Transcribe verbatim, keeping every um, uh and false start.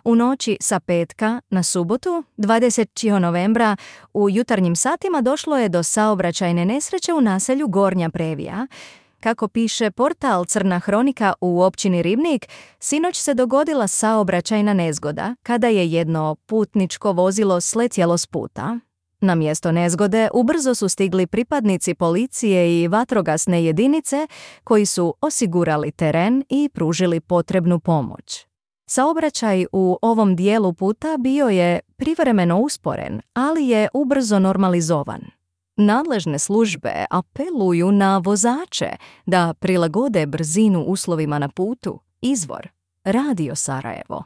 U noći sa petka na subotu, dvadesetog novembra, u jutarnjim satima došlo je do saobraćajne nesreće u naselju Gornja Previja. Kako piše portal Crna hronika u općini Ribnik, sinoć se dogodila saobraćajna nezgoda kada je jedno putničko vozilo sletjelo s puta. Na mjesto nezgode ubrzo su stigli pripadnici policije i vatrogasne jedinice koji su osigurali teren i pružili potrebnu pomoć. Saobraćaj u ovom dijelu puta bio je privremeno usporen, ali je ubrzo normalizovan. Nadležne službe apeluju na vozače da prilagode brzinu uslovima na putu. Izvor: Radio Sarajevo.